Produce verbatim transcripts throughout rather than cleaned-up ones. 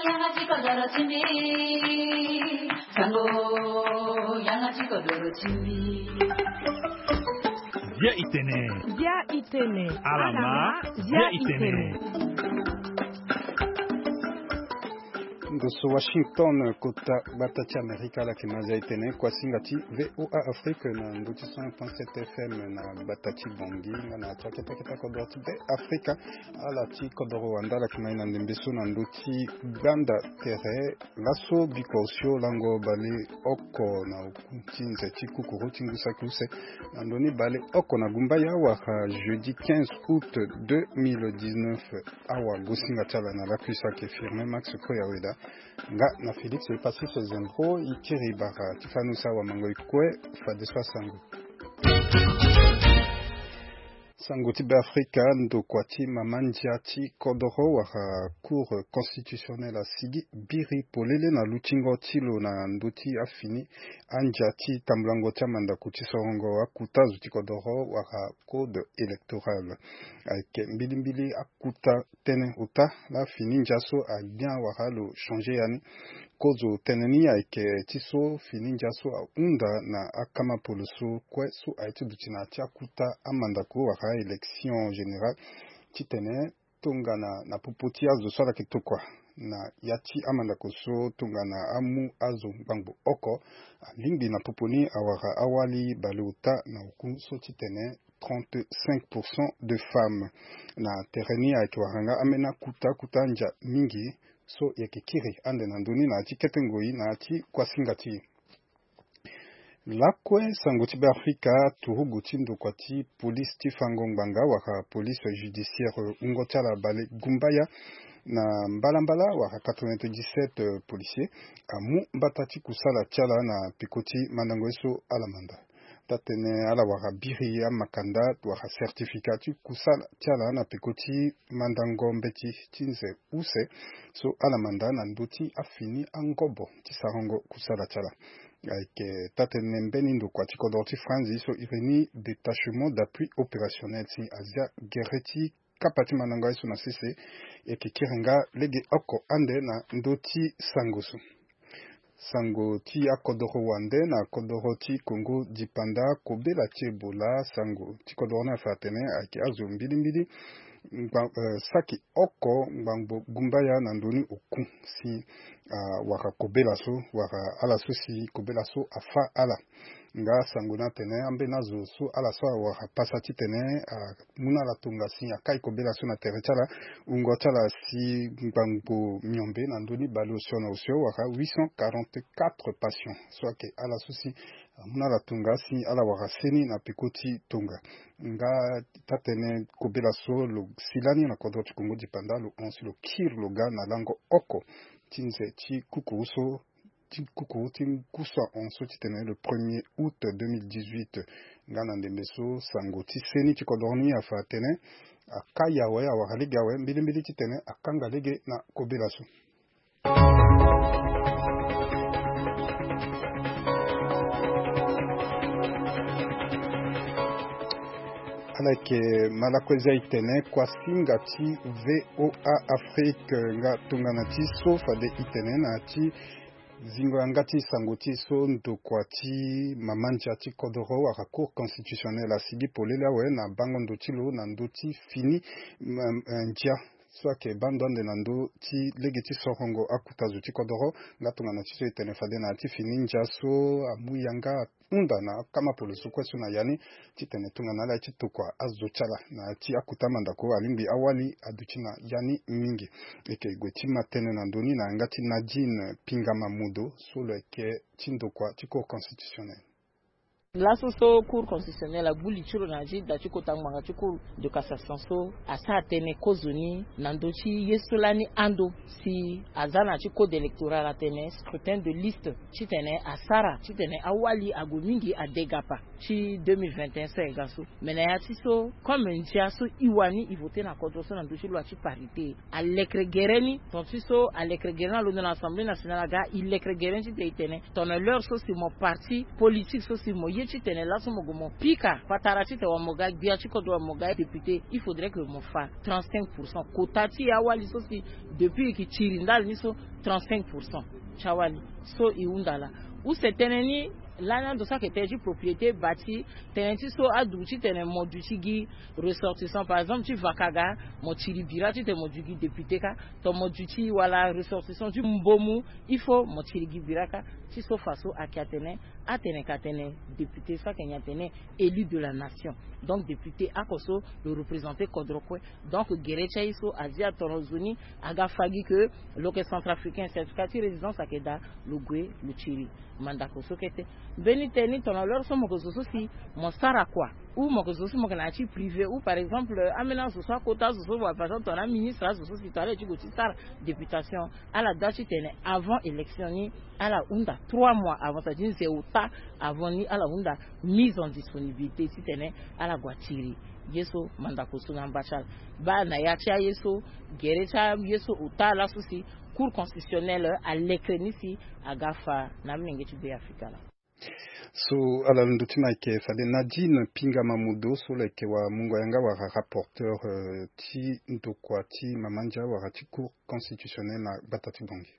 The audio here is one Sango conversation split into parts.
Yanga ti kodoro ti mbi. Sango, yanga ti kodoro ti mbi. Bia itene. Bia itene. Alama, bia itene. Ndo so Washington, kota gbata ti Amerika, ala yeke ma zia itene kuasinga ti V O A Afrique na ndo ti cent point sept F M na gbata ti Bangui, nga na ti akete akete kodoro ti Be Afrika. Ala ti kodoro wande ala yeke ma e na ndembe so na ndo ti gbanda tere laso bikua osio lango baleoko na oku ti nze ti kukuru ti ngu saki use na ndo ni baleoko na gumbaya wala jeudi quinze août deux mille dix-neuf. Awagosinga ti ala na lakui so ayeke Firmin Max Koyaweda, nga na Félix Passis Zembro. E kiri bara ti fani use awamango e kue fadeso asango. Sango ti Be Afrika, ndokua ti mama ndia ti kodoro wala Cour constitutionnelle asigi biri polele na lutingo ti lo na ndö ti afini andia ti tambulango ti amandako ti sorongo akuta zo ti kodoro wala code électoral. Ayeke mbilimbili akuta tënë ota la fini ndia so agbia wala lo changer yani. Kozo tënë ni ayeke ti so fini ndia so ahunda na akama polo so kue so aye ti duti na ya ti akuta amandako wala élection générale titene tongana na popo ti azo so ala yeke tokua na ya ti amandako so tongana amu azo ngbangbo oko alingbi na popo ni awara awali baleota na oku so titene trente-cinq pour cent de femmes. Na tere ni ayeke wara nga ambeni akuta akuta andia mingi so e yeke kiri ande na ndö ni na ya ti kete ngoi na ya ti kuasinga ti e. Lakue sango ti Be Afrika, turugu ti ndokua ti polise ti fango ngbanga wala police judiciaire wungo ti ala balegumbaya na mbalambala wala quatre-vingt-dix-sept policiers amu mbata ti kusala ti ala na peko ti mandango ye so ala manda. Taa-tënë ala wara biri amakanda wala certificat ti kusala ti ala na peko ti mandango mbeti ti nze use so ala manda na ndö ti afini angobo ti sarango kusala ti ala. Ayeke taa-tënë mbeni ndokua ti kodoro ti Franzi so iri ni détachement d'appui opérationnel si azia gere ti kapa ti mandango aye so na sese. E yeke kiri nga lege oko ande na ndö ti sango so. Sango ti akodoro wande na kodoro ti Kongo dipanda, kobela ti Ebola, sango ti kodoro ni afa atene ayeke azo mbilimbili ngba, eh, saki oko ngbangbo gumbaya na ndö ni oku si, ah, wara kobela so, wara ala so si kobela so afa ala. Nga sango ni atene ambeni azo so ala so awara pasa titene, ah, amu na ala tonga si akai kobela so na tere ti ala, wungo ti ala si ngbangbo miombe na ndö ni baleosio na osio wara huit cent quarante-quatre patients so ayeke ala so si amu na ala tonga si ala wara seni na peko ti tonga. Nga taa-tënë kobela so lo si lani na kodro ti Kongo dipanda lo hon si lo kiri lo ga na lango oko ti nze ti kukuru so ti kukuru ti ngu so ahon so titene le premier août deux mille dix-huit. Nga na ndembe so sango ti seni ti kodro ni afa atene akai awe, awara lege awe mbilimbili titene akanga lege na kobela so. Ala yeke ma lakue zia e tene kuasinga ti V O A Afrique, nga tongana ti so fade e tene na ya ti zingo yanga ti sango ti e so, ndokua ti mama ndia ti kodoro wala Cour constitutionnelle asigi polele awe na bango ndo ti lo na ndö ti fini, mm, eh, ndia so ayeke baa ndo ande na ndö ti lege ti sorongo akuta zo ti kodoro. Nga tongana ti so e tene fade na ya ti fini ndia so amu yanga ahunda na akama polo so kue so na ya ni titene tongana ala ye ti tokua azo ti ala na ya ti akuta mandako alingbi awali aduti na ya ni mingi. E yeke gue ti ma tënë na ndö ni na yanga ti Nadine Pingama Modo so lo yeke ti ndokua ti Cour constitutionnelle. Laso so Cour constitutionnelle agbu li ti lo na ya ti da ti kota ngbanga ti Cour de cassation so asara tënë kozoni na ndö ti ye so lani ando si aza na ya ti code électoral atene scrutin de liste titene asara titene awali ague mingi adegapa ti deux mille vingt et un so ayeke ga so. Me na ya ti so comme ndia so e wani e vote na kodro so na ndö ti loi ti parité, alekere gere ni, ton ti so alekere gere ni alondo na Assemblée nationale aga, e lekere gere ni titene e tene tongana l'heure so si mo parti politique so si mo ye Titene laso mo gue mo pika patara titene wala mo ga gbia ti kodro, wala mo ga député, il faudrait que mo fa trente-cinq pour cent quota ti awali so si depuis e ke tiri ndali ni so, trente-cinq pour cent ti awali so e hunda laa. Use tënë ni lani ando so ayeke tënë ti propriété bâtie, tënë ti so aduti titene mo duti gi ressortissant, par exemple ti Vakaga, mo tiri bira titene mo duti gi député kâ. Tongana mo duti wala ressortissant ti Mbomu, il faut mo tiri gi bira kâ. Ti so fa so ayeke atene atene ka tene député so ayeke nyen? Atene élu de la nation. Donc député oko so lo représenter kodro kue. Donc gere ti aye so azi atono zo ni aga fa gi ke lo yeke centrafricain, certificat ti résidence ayeke daa, lo gue lo tiri mandako so kete. Mbeni tënë ni tongana l'heure so mo yeke zo so si mo sara kua, ou mo yeke zo so mo yeke na ya ti privé, ou par exemple ambeni azo so akota azo so wala par exemple tongana aministre azo so si tongana ala ye ti gue ti sara députation, ala doit titene avant élection ni ala hunda trois mois avant, c'est-à-dire nze ota avant ni ala hunda mise en disponibilité titene ala gue atiri ye so mandako so na amba ti ala. Baa na ya ti aye so, gere ti aye so ota laso si Cour constitutionnelle alekere ni si aga fa na amolenge ti Be Afrika laa. So ala londo ti mo ayeke fade Nadine Pinga Mamodo so lo yeke wamungo yanga wala rapporteur, euh, ti ndokua ti mama ndia wala ti Cour constitutionnelle na gbata ti Bangui.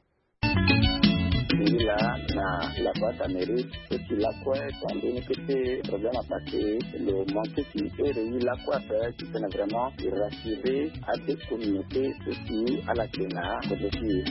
Ngi laa na la boîte à mérite so si lakue tongana mbeni kete problème apassé, lo manqué si ere ye lakue ape titene vraiment e rassurer ade communauté so si ala yeke na kodro ti e.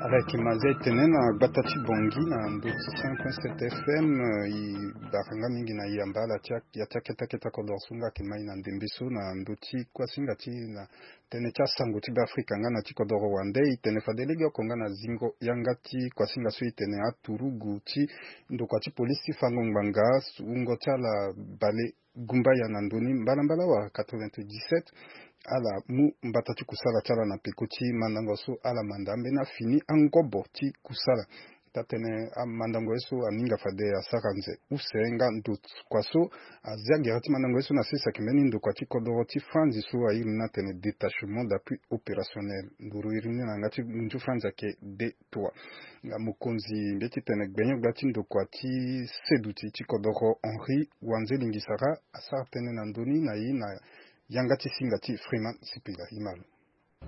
Ala yeke ma zia e tene na gbata ti Bangui na ndö ti cent point sept F M, eh, e bara nga mingi na yamba ala ti a- ya ti akete akete kodro so nga ayeke mai na ndembe so na ndö ti kuasinga ti na tënë ti asango ti Beafrika nga na ti kodoro wande. E tene fade legeoko nga na zingo yanga ti kuasinga so e tene aturugu ti ndokua ti polisi ti fango ngbanga, wungo ti ala bale gumbaya na ndö ni mbalambala wala quatre-vingt-dix-sept, ala mu mbata ti kusala ti ala na peko ti mandango so ala manda ambeni afini angobo ti kusala. Taa-tënë amandango ye so aninga fade asara nze use nga ndo kua so azia gere ti mandango ye so na sese ayeke mbeni ndokua ti kodoro ti Franzi so airi ni atene détachement d'appui opérationnel. Nduru iri ni na yanga ti ngu ti Franzi ayeke D trois. Nga mokonzi mbeti tene gbenyo-gbia ti ndokua ti seduti ti kodoro Henri Wanze Lingisara asara tënë na ndö ni na ye na yanga ti singa ti Freeman Sipila. Ye ma lo.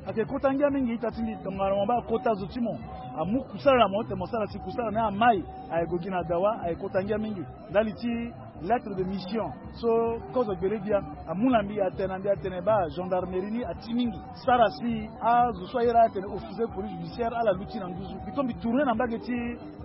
Ayeke kota ngia mingi ita ti mbi tongana mo baa kota zo ti mo amu kusala na mo tene mo sara si kusala na ye amai aye gue gi na dawa, aye kota ngia mingi. Ndali ti lettre de mission so kozo gbele gbia amu na mbi, atene na mbi atene baa gendarmerie ni ati mingi. Sara si azo so ayere atene officier de police judiciaire ala luti na nduzu. Mbi to mbi tourner na mbage ti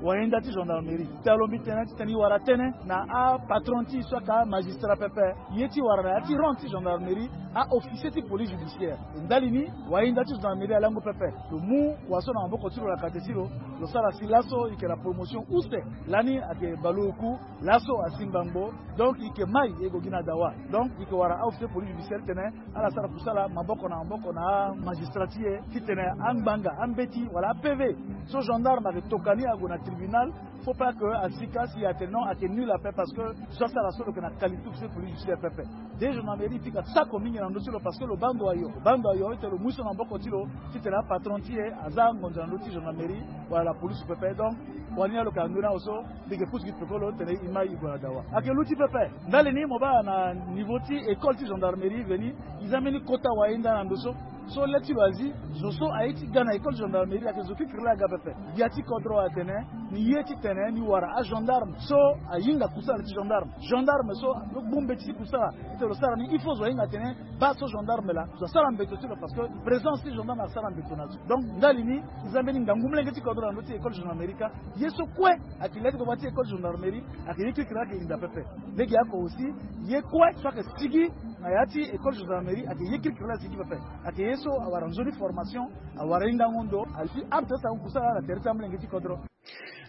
wayenda ti gendarmerie. Talo mbi tene titene e wara tënë na apatron ti e so ayeke amagistrat pepe. Ye ti wara na ya ti rang ti gendarmerie, a-officier ti police judiciaire. E ndali ni, wayenda ti gendarmerie alango pepe. Lo mu kua so na maboko ti lo na kate ti lo, lo sara si laso e yeke na promotion use. Lani ayeke baleoku, laso asi ngbangbo. Donc e yeke mai e gue gi na dawa. Donc e yeke wara a-officier police judiciaire titene ala sara kusala maboko na maboko na amagistrat ti e titene angbanga, ambeti wala a-P V so gendarme ayeke toka ni ague na tribunal, faut pas que asika si atene non, ayeke nul ape parce que so asara so lo yeke na qualité officier police judiciaire pepe. Déjà gendarmerie e pika sako mingi na ndö ti lo parce que lo baa ndo ayo, lo baa ndo ayo ete lo mu so na maboko ti lo titene apatron ti e aza ngonzo na ndö ti gendarmerie wala la police pepe. Donc wani alo yeke na ndö ni awe so mbi yeke pusu gi pekolo tene e mai e gue na dawa. Ayeke luti pepe. Ndali ni mo baa na niveau ti école ti gendarmerie veni, e za mbeni kota wayenda na ndo so. So le ti lo azi, zo so aye ti ga na école gendarmerie ayeke zo kirikiri laa aga pepe. Gbia ti kodro atene ni ye titene ni wara agendarme so ahinga kusala ti gendarme. Gendarme so lo gbu mbeti ti kusala titene lo sara ni, il faut zo ahinga atene baa so gendarme laa zo asara mbeto ti lo parce que présence ti gendarme asara mbeto na zo. Donc ndali ni e za mbeni ngangu molenge ti kodro na ndö ti école gendarmerie kâ. Ye so kue ayeke le ti gbagba ti école gendarmerie ayeke ye kirikiri ayeke hinda pepe. Legeoko aussi ye kue so ayeke sigi na ya ti école gendarmerie ayeke ye kirikiri la sigi pepe. Ayeke ye so awara nzoni formation, awara hingango ndo, asi apte ti sara kusala na tere ti amolenge ti kodro.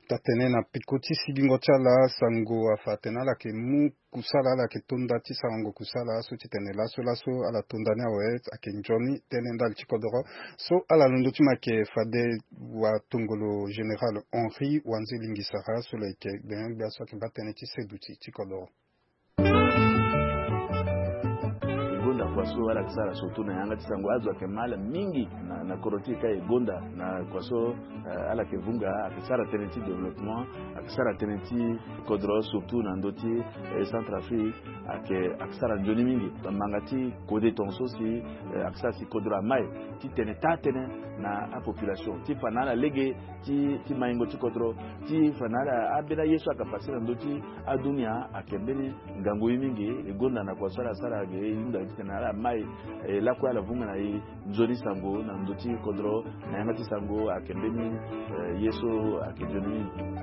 Taa-tënë na peko ti sigingo ti ala sango afa atene ala yeke mu kusala, ala yeke tonda ti sarango kusala so titene laso laso ala tonda ni awe ayeke nzoni tënë ndali ti kodoro. So ala londo ti mo ayeke fade watongolo général Henri Wanze Lingisara so lo yeke gbenyo-gbia so ayeke baa tënë ti seduti ti kodoro. Kua so ala yeke sara surtout na yanga ti sango, azo ayeke mal mingi na, na kodro ti e ka e gonda na kua so, eh, ala yeke vunga, ayeke sara tënë ti développement, ayeke sara tënë ti kodro surtout na ndö ti, eh, Centrafrique, ayeke, ayeke sara nzoni mingi. Manga ti kode tongaso si, eh, ayeke sara si kodro amai ti tene taa tënë na apopulation ti fa na ala lege ti, ti maingo ti kodro, ti fa na ala ambeni aye so ayeke pase na ndö ti adunia ayeke mbeni ngangu ye mingi. E gonda na kua so ala sara ge, e hunda titene ala mai, eh, lakue ala vunga na e nzoni sango na ndö ti kodro na yanga ti sango ayeke mbeni, eh, ye so ayeke nzoni mingi.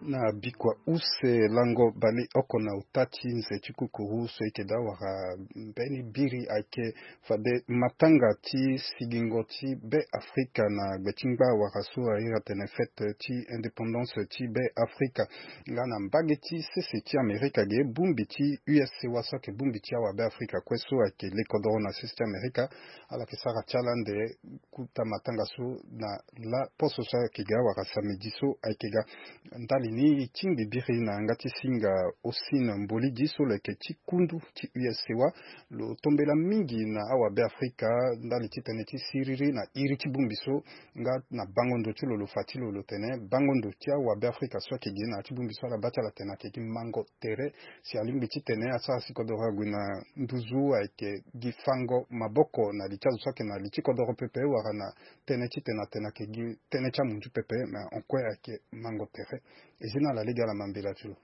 Na bikua use lango baleoko na ota ti nze ti kukuru so e yeke daa wara mbeni biri ayeke fade matanga ti sigingo ti Be Afrika na gbe ti ngba wara so a iri atene fête ti indépendance ti Be Afrika. Nga na mbage ti sese ti Amerika ge, bongbi ti U S C wa so ayeke bongbi ti awabe Afrika kue so ayeke le kodoro na sese ti Amerika, ala yeke sara ti ala ande kuta matanga so na laposo so ayeke ga wala samedi so ayeke ga. Ndali ni e tingbi biri na yanga ti singa Hosine Mbolidi so lo yeke ti kundu ti U S C wa. Lo tombela mingi na awabe Afrika ndali ti tene ti siriri na iri ti bongbi so, nga na bango ndo ti lo, lo fa ti lo, lo tene bango ndo ti awabe Afrika so ayeke gi na ya ti bongbi so ala baa ti ala tene ayeke gi mango tere. Si alingbi titene asara si kodoro ague na nduzu, ayeke gi fango maboko na li ti azo so ayeke na li ti kodoro pepe wala na tënë titene atene ayeke gi tënë ti amunzu pepe, me en kue ayeke mango tere. E zi na ala lege ala ma mbela ti lo.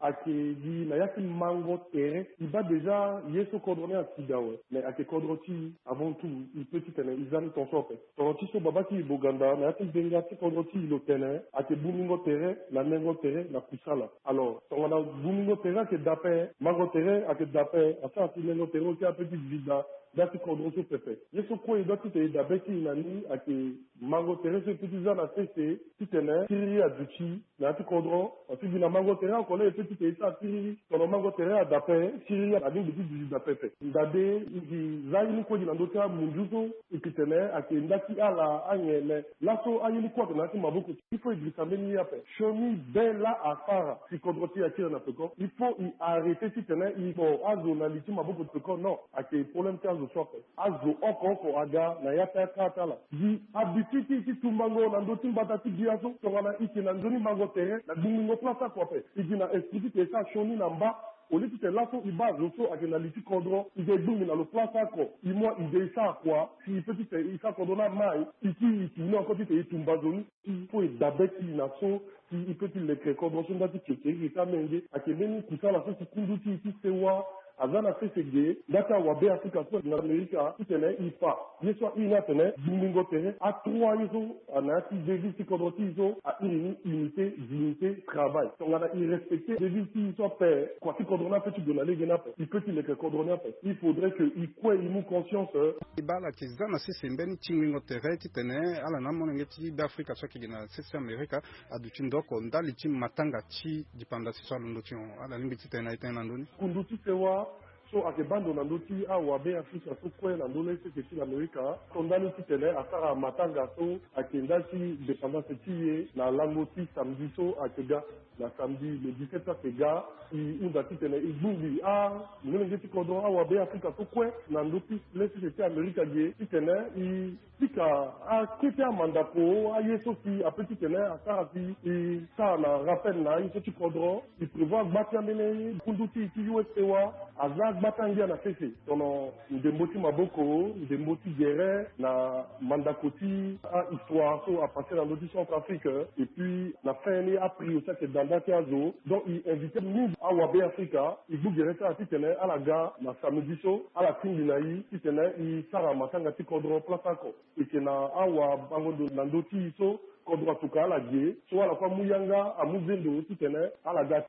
Ayeke gi na ya ti mango tere. E baa déjà ye so kodro ni asi ga awe, me ayeke kodro ti e. Avant tout, e peut titene e za ni tongaso ape. Tongana ti so babâ ti e Boganda na ya ti ndenga ti kodro ti e lo tene, ayeke bongbingo tere na nengo tere na kusala. Alors tongana bongbingo tere ayeke dape, mango tere ayeke dape, asara si nengo tere oti ape ti zi da, da ti kodro so pepe. Ye so kue e doit titene e dabe ti e na ni ayeke mango tere so e peut ti za na sese titene siriri aduti na ya ti kodro. Parce que gi na mango tere oko laa e peut titene e sara siriri, tongana mango tere adape, siriri alingbi ti duti dape ape. Ndade e gi za ye ni kue gi na ndö ti amunzu so e yeke tene ayeke nda ti ala anyen, me laso aye ni kue ayeke na ya ti maboko ti e. Il faut e girisa mbeni ye ape. Sioni be laa asara si kodro ti e akiri na peko, il faut e arrêter titene e kpo azo na li ti maboko ti peko, non. Ayeke problème ti azo so ape. Azo oko oko aga na ya ti akara ti ala. Gi habitude ti e ti tumbango na ndö ti mbata ti gbia so, tongana e yeke na nzoni mango tere na gbungbingo place oko ape. E gi na esprit titene e sara sioni na mba. Au lieu titene laso e baa azo so ayeke na li ti kodro, e ga e gbingbi na lo place oko, e mu e ga e sara kua, si e peut titene e sara kodro ni amai, e ti e tourner encore titene e tumba zo ni. Il faut e dabe ti e na so si e peut ti leke kodro so nda ti kekereke ti amenge. Ayeke mbeni kusala so si kundu ti e ti sewa aza na sese ge, nda ti awabe Afrika so na Amerika titene e fa ye so a iri ni atene gbungbingo tere. Atroi ye so na ya ti devise ti kodro ti e so a iri ni unité, dignité, travail. Tongana e respecter devise ti e so ape, kua ti kodro ni ape ti gue na lege ni ape, e peut ti leke kodro ni ape. Il faudrait que e kue e mu conscience. E baa ala yeke za na sese mbeni tingbingo tere titene ala na amolenge ti Be Afrika so ayeke gi na sese Amerika aduti ndo oko ndali ti matanga ti dipandasi so alondo ti hon. Ala lingbi titene na e tene na ndö ni. Kundu ti sewa so ayeke baa ndo na ndö ti awabe Afrika so kue na ndö ni sese ti Amerika, so ndali titene asara matanga so ayeke ndali ti dépendance ti e na lango ti samedi so ayeke ga. Na samedi le dix-sept so ayeke ga, e hunda titene e gbingbi amolenge ti kodro awabe Afrika so kue na ndö ti le sese ti Amerika ge titene e pika akete amandako, aye so si ape titene asara si e sara na rappel na aye so ti kodro. E prévoir gba ti ambeni kundu ti e ti U S C wa aza gba ti angia na sese, tono ndembo ti maboko, ndembo ti gere, na mandako ti ahistoire so apasse na ndö ti Centrafrique, et puis na fin ni aprix aussi ayeke da nda ti azo. Donc e invité mingi awabe Afrika, e gbu gere ti ala titene ala ga na samedi so, ala tingbi na e titene e sara matanga ti kodro place oko. E yeke na awabango ndo na ndö ti e so kodro atuka ala ge, so ala kue amu yanga, amu zendo titene ala ga.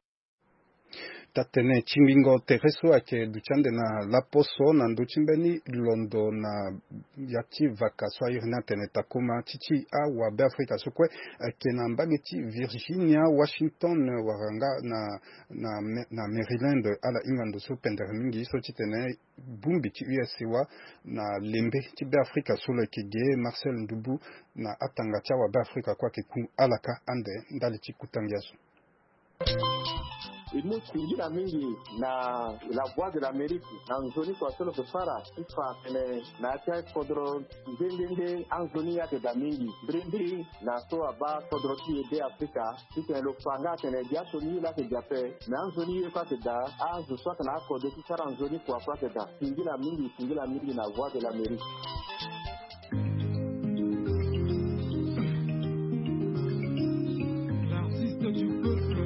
Taa-tënë ti ngingo tere so ayeke duti ande na laposo na ndö ti mbeni londo na ya ti vaka so a iri ni atene Takoma ti ti awabe Afrika so kue ayeke na mbage ti Virginia, Washington, wala nga na, na, na Maryland, ala hinga ndo so pendere mingi so titene bongbi ti U S C wa na lembe ti Be Afrika so lo yeke ge, Marcel Ndubu, na atanga ti awabe Afrika kue ayeke ku ala ka ande ndali ti kuta ngia so. E mu singila mingi na La Voix de l'Amérique na nzoni kua so lo yeke sara ti fa atene na ya ti akodro nde nde nde anzoni ayeke daa mingi. Mbirimbiri na so abaa kodro ti e Be Afrika titene lo fa nga atene gi asioni ye laa ayeke daa ape. Me anzoni ye kue ayeke daa, azo so ayeke na akode ti sara nzoni kua kue ayeke daa. Singila mingi, singila mingi na Voix de l'Amérique. L'artiste du peuple.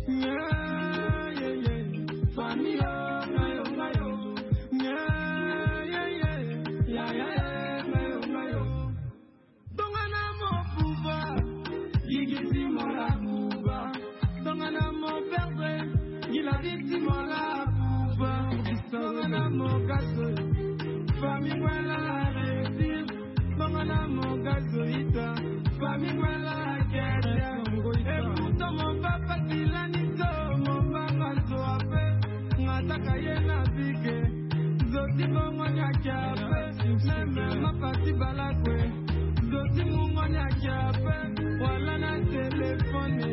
Yeah, yeah, yeah. Famille, oh, ngayo, ngayo. Yeah, yeah, yeah. Yeah, yeah, yeah. Ngayo, ngayo. Tongana mo buba, gigi ti mo la buba. Tongana mo perdre, gila di ti mo la buba. Tongana mo gaso, famille wala réussir. Tongana mo gaso ita, famille wala kete. Et pourtant mon papa ti lani so, mon papa so ape. Ngataka ye na bike, zoti bongo ni ake ape. Même ma parti balakwe. Zoti mungo ni ake ape, wala na telefone.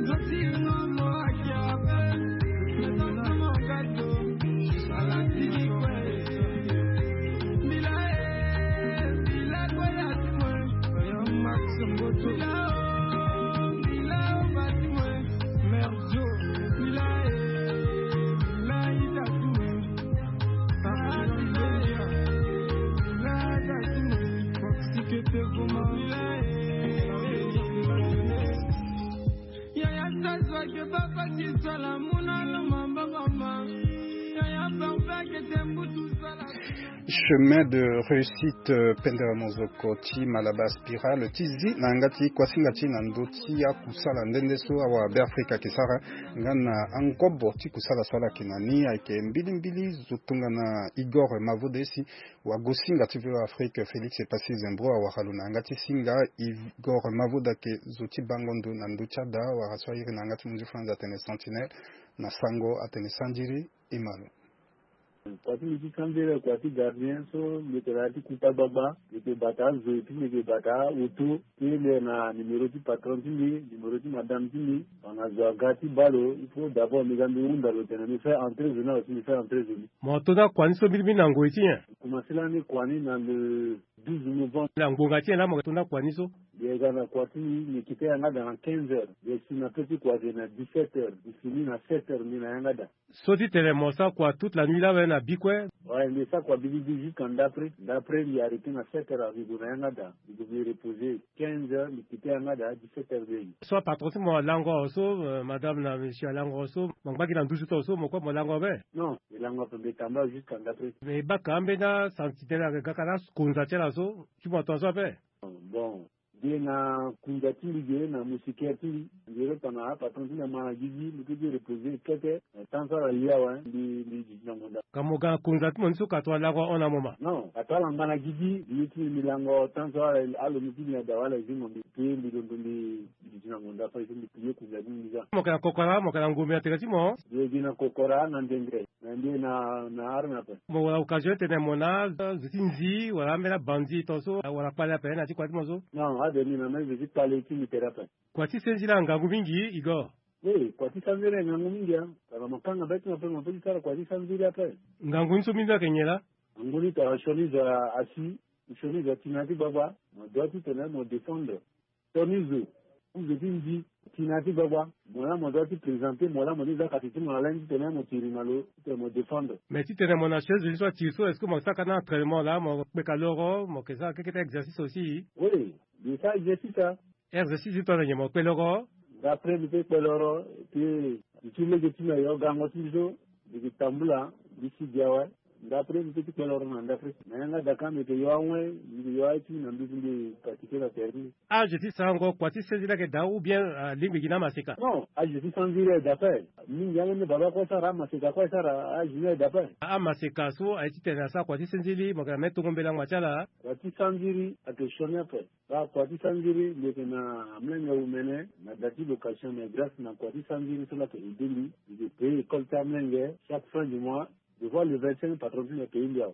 Zoti ngomo ake ape. Zoti mo gato, ala tiki kwe. Mbila e, mbila kwe ya ti kwe. Max Mboto. Mbila o, mbila o ba ti kwe. Mère Jo. Mbila e, mbila ita ti kwe. Chemin de réussite, euh, pendere mozoko ti Malabar Spiral ti zi na yanga ti kuasinga ti na ndö ti akusala nde nde so awara Be Afrika ayeke sara nga na angobo ti kusala so ala yeke na ni ayeke mbilimbili zo tongana Igor Mavoda si wagosinga ti V O A Afrique Félix Epassi Zembro awara lo na yanga ti singa. Igor Mavoda ayeke zo ti bango ndo na ndö ti ada wala so airi na yanga ti munzu France atene Sentinelle, na sango atene sandiri. E ma lo. Kua ti mbi ti sandiri kua ti gardien so mbi yeke na ya ti kuta gbagba, mbi yeke bata azo ti mbi yeke bata auto ti le na numéro ti patron ti mbi, numéro ti madame ti mbi. Tongana zo aga ti baa lo, il faut d'abord mbi ga mbi hunda lo tene mbi fait entrer zo ni awe si mbi fait entrer zo ni. Mo to na kua ni so mbirimbiri na ngoi ti nyen? Mbi commencé lani kua ni na le douze novembre. Na ngbonga ti nyen laa mo yeke to na kua ni so? Mbi yeke ga na kua ti mbi, mbi quitté yanga daa na quinze heures. Mbi yeke si na peu ti kua ayeke na dix-sept heures. Mbi fini na sept heures mbi na yanga daa. So ti tene mo sara kua toute la nuit laa awe na bi kue? Ouais, mbi sara kua bibibi jusqu'à ndapre. Ndapre mbi arrêté na sept heures, mbi gue na yanga daa. Mbi gue mbi reposer quinze heures, mbi quitté yanga daa dix-sept heures mbi ye gi. So apatron ti mo alango awe so, euh, madame na monsieur alango awe so, mo ngba gi na nduzu ti awe so, mo kue mo lango awe be? Non, mbi lango ape, mbi tambula jusqu'à ndapre. Mais e baka ambeni asantinelle ayeke ga ka na konza ti ala so, ti mo atonga so ape? Bon, Mbi ye na kunza ti mbi ge na moustiquaire ti mbi. Mbi ye lo tongana apatron ti mbi ama na gigi, mbi peut ti reposer kete. Eh, temps so ala li awe, mbi, mbi duti na ngonda. Ka mo ga na kunza ti mo ni so ka tongana lango ahon na mo ma? Non, ka tongana ala ngba na gigi, mbi ye ti mbi, mbi lango temps so ala, alo mbi ti mbi na da wala zingo mbi. Mbi, mbi londo mbi duti na ngonda fade so mbi pillé kunza ti mbi za. Mo yeke na kokora, mo yeke na ngombe na tere ti mo? Mbi ye gi na kokora na ndengre. Na mbi na, na arme ape. Mo wara occasion ti tene mo na azo ti nzi wala ambeni abandi tongaso wala kpale ape na ya ti kua ti mo so? Non, ade mbi na mbeni zo ti kpale ti mbi tere ape. Kua ti senzila ngangu mingi, Igor. Oui, kua ti senzila ngangu mingi, hein. Tongana mo kanga be ti mo ape, mo peut ti sara kua ti senzila ape. Ngangu ni so mbeni so ayeke nyen laa? Ngangu ni tongana sioni zo asi, sioni zo ati na ya ti gbagba, mo doit ti tene mo défendre. Sioni zo, ti zo ti nzi, ti na ya ti gbagba, mo laa mo doit ti présenter, mo laa mo ti za kati ti mo na lain ti tene mo tiri na lo, ti tene mo défendre. Mais ti tene mo na chaise ni so atiri so, est-ce que mo sara ka na entraînement laa, mo kpeka loro, mo yeke sara keke ti exercice aussi? Oui, mbi sara exercice, hein. Exercice ni tongana nyen, mo kpe loro? D'après mbi peut kpe loro, et puis mbi ti lege ti mbi ayo gango ti mbi so, mbi yeke tambula, mbi si gi awe. Ndapre mbi peut ti kpe loro na ndapre. Na yanga daa ka mbi yeke yo awe, mbi yeke yo aye ti mbi na nduzu mbi pratiquer na tere ti mbi. Âge ti sarango kua ti senzila ayeke daa ou bien, ah, alingbi gi na amaseka? Non, âge ti senzila ayeke daa ape. Mingi ambeni baba kue asara, amaseka kue asara, âge ni ayeke daa ape. Amaseka so aye ti tene asara kua ti senzila, mo yeke na mbeni tongo mbela ngba ti ala? Kua ti senzila ayeke sioni ape. Baa kua ti senzila, mbi yeke na amolenge omene na da ti location, mais grâce na kua ti senzila so laa ayeke aidé mbi, mbi yeke payer école ti amolenge chaque fin du mois. Devoir le vingt-cinq patron ti mbi apayer mbi awe.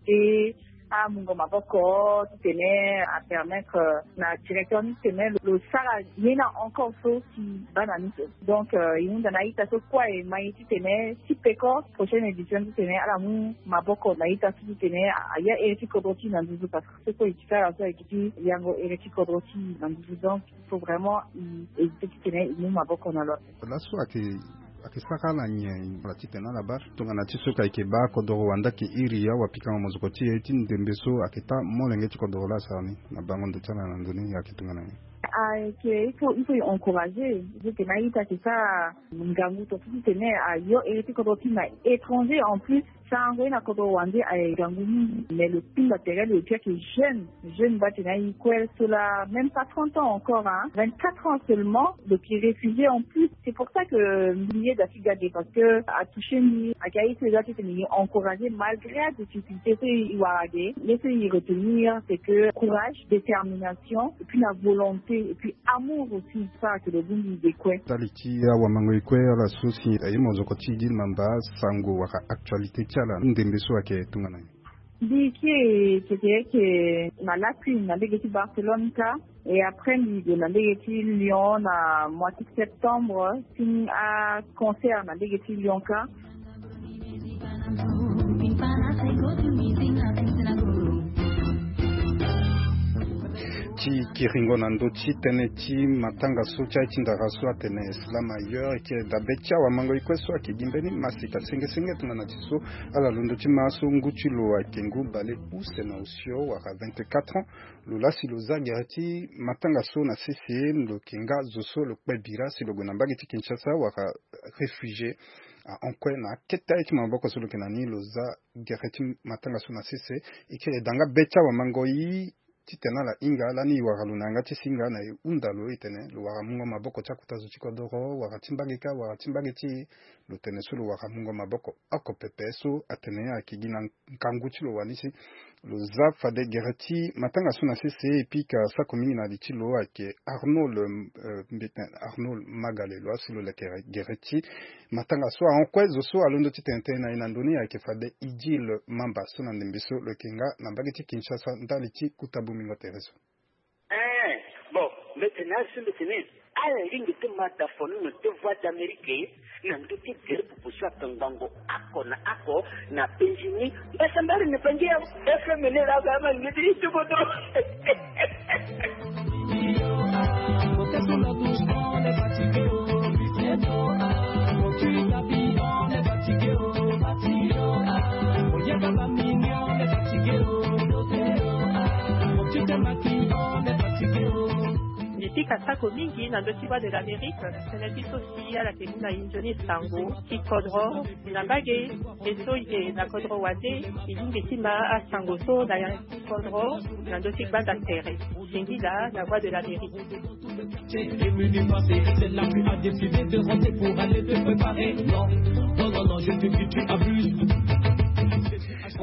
éviter amungo maboko titene apermettre na directeur ni titene lo sara ye na encore so si bana ni so. Donc e hunda na ita so kue e ma ye titene ti peko prochaine édition titene ala mu maboko na ita so titene aya ere ti kodro ti na nduzu parce que so kue e ti sara so ayeke ti yango ere ti kodro ti na nduzu. Donc il faut vraiment e éviter titene e mu maboko na lo. Laso ayeke ayeke sara na nyen? Ala titene ala baa tongana ti so ka ayeke baa kodoro wande ayeke iri awapikango mozoko ti e ti ndembe so ayeke taa molenge ti kodoro laa asara ni na bango ndo ti ala na ndo ni ayeke tongana nyen? Ayeke il faut il faut e encourager. Eke na a-ita eke sara ngangu tongaso ti tene ayo ere ti kodro ti na étranger en plus. Sarango ye na kodro wande aye ngangu mingi, mais lo kpinga tere lo ye ti ayeke jeune. Jeune baa tene aye kue so laa même pas trente ans encore, hein, vingt-quatre ans seulement, lo yeke réfugié en plus. C'est pour ça que mbi ye da ti ga ge, parce que atouché mbi. Ayeke aye so e ga ti tene e encourager malgré adifficulté so e wara ge. Ye so e retenir c'est que courage, détermination, et puis na volonté, et puis amour aussi. Sara ke lo bongbi ge kue. Ndali ti awamango e kue ala so si aye mozoko ti Idil Mamba, sango wala actualité ti ala ndembe so ayeke tongana nyen? Mbi kiri tete yeke na lakui na lege ti Barcelone ka. Et après mbi gue na lege ti Lyon na mois ti septembre ti aconcert na lege ti Lyon ka. Ti kiringo na ndö ti tënë ti matanga so ti aye ti ndara so atene slam ailleurs, eke dabe ti awamango e kue so ayeke gi mbeni masika sengesenge tongana ti so ala londo ti ma so ngu ti lo ayeke ngu bale use na osio wala vingt-quatre ans. Lo laa si lo za gere ti matanga so na sese, lo yeke nga zo so lo kpe bira si lo gue na mbage ti Kinshasa wala réfugié. Ah, en kue na akete aye ti maboko so lo yeke na ni, lo za gere ti matanga so na sese. E kiri e da nga be ti awamango e titene ala hinga lani e wara lo na yanga ti singa na e hunda lo e tene lo wara mungo maboko ti akota zo ti kodoro, wara ti mbage kâ, wara ti mbage ti e. Lo tene so lo wara mungo maboko oko pepe so atene ayeke gi na ngangu ti lo wani si lo za fade gere ti matanga so na sese. E pika sako mingi na li ti lo ayeke Arnold, euh, Mbeten, Arnold Magale, lo asi lo leke gere ti matanga so ahon kue. Zo so alondo ti tene tënë na e na ndö ni ayeke fade Idil Mamba so na ndembe so lo yeke nga na mbage ti Kinshasa ndali ti kota bomingo tere so. Eh, bon, mbete na azo so mbete ni ala lingbi ti ma da fo ni na deux voix d'Amérique na ndö ti gere popo so atongbango oko na oko na penzi ni. Mbasambari na bangi ya F M ni la ba ma ngeti ni tukutu. Mbi pika sako mingi na ndö ti Voix de l'Amérique, tënë ti so si ala yeke mu na e nzoni sango ti kodro na mbage. E so e yeke na kodro wande, e lingbi ti ma asango so na yanga ti kodro na ndö ti gbanda tere. Singila na Voix de l'Amérique. Et menu passé, celle-là tu as décidé de rentrer pour aller te préparer. Non, non, non, non, je te dis, tu abuses.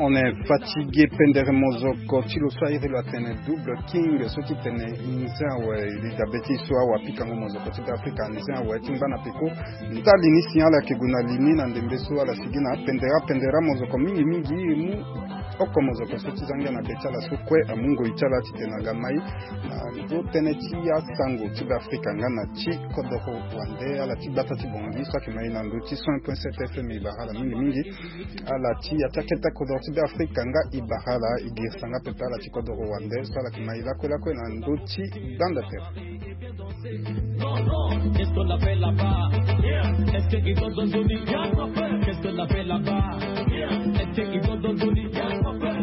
On est fatigué, pendere mozoko ti lo so airi lo atene Double King so ti tene e nze awe. E li dabe ti e so awa pikango mozoko ti Beafrika nze awe ti ngba na peko. Ndali ni si ala yeke gue na li ni na ndembe so ala sigi na pendere, pendere mozoko mingi mingi. E mu oko mozoko so ti za ngia na be ti ala so kue amu ngoi ti ala titene aga mai na ndö tënë ti asango ti Beafrika nga na ti kodoro wande. Ala ti gbata ti Bongi so ayeke mai na ndö ti cent point sept F M e bara ala mingi mingi. Ala ti ya ti akete kodoro ti Beafrika nga e bara ala, e girisa nga pepe ala ti kodoro wande so ala yeke mai lakue lakue na ndö ti gbanda tere. Non, non, qu'est-ce qu'on appelle là-bas? Est-ce que ils ont donné? Qu'est-ce qu'on appelle là-bas? Est-ce que ils ont donné?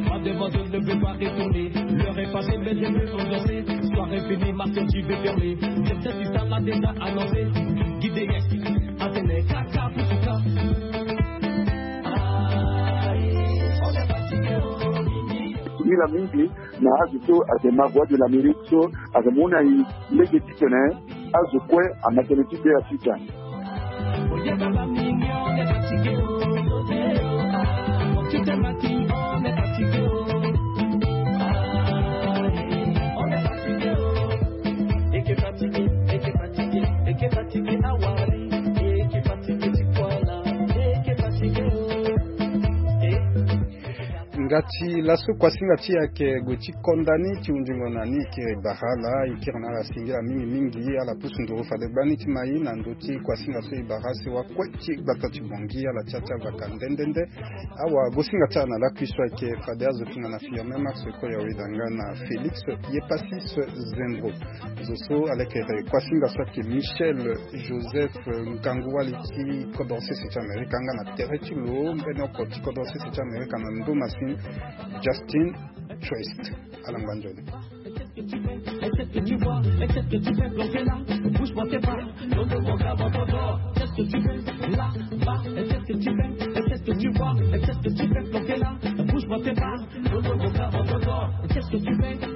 Mademoiselle ne veut pas retourner. L'heure est passée, mais je veux ambiancer. Soirée finie, ma sœur, tu veux fermer. Viens, viens, ça l'a déjà annoncé. Guidez, attendez, caca, poussouka. Aïe, on est fatigué, oh, mimi. Mila mingi. Na azo so ayeke ma Voix de l'Amérique so ayeke mu na e lege titene azo kue ama tënë ti Beafrika. Nga ti laso kuasinga ti e ayeke gue ti konda ni ti hunzingo na ni. E kiri e bara ala, e kiri na ala singila mingi mingi. Ala pusu nduru fade gbani ti mai na ndö ti kuasinga so e bara si wakue ti gbata ti Bongi ala ti ya ti avaka nde nde nde. Awa gosinga ti ala na lakui so ayeke fade azo tongana Firmin Max Koya Wedanga na Félix Yepassis Zembro. Zo so alekere kuasinga so ayeke Michel Joseph, eh, ngangu wali ti kodro sese ti Amerika nga na tere ti lo mbeni oko ti kodro sese ti Amerika na ndo masini, Justin Trist. Ala ngba nzoni. Qu'est-ce que tu fais? Qu'est-ce que tu vois? Qu'est-ce que tu fais? Planqué là, bouge pas tes bras. Non, non, mon gars, mon tonton. Qu'est-ce que tu fais? Là, bas, qu'est-ce que tu fais? Qu'est-ce que tu vois? Qu'est-ce que tu fais? Planqué là, bouge pas tes bras. Non, non, mon gars, mon tonton. Qu'est-ce que tu fais?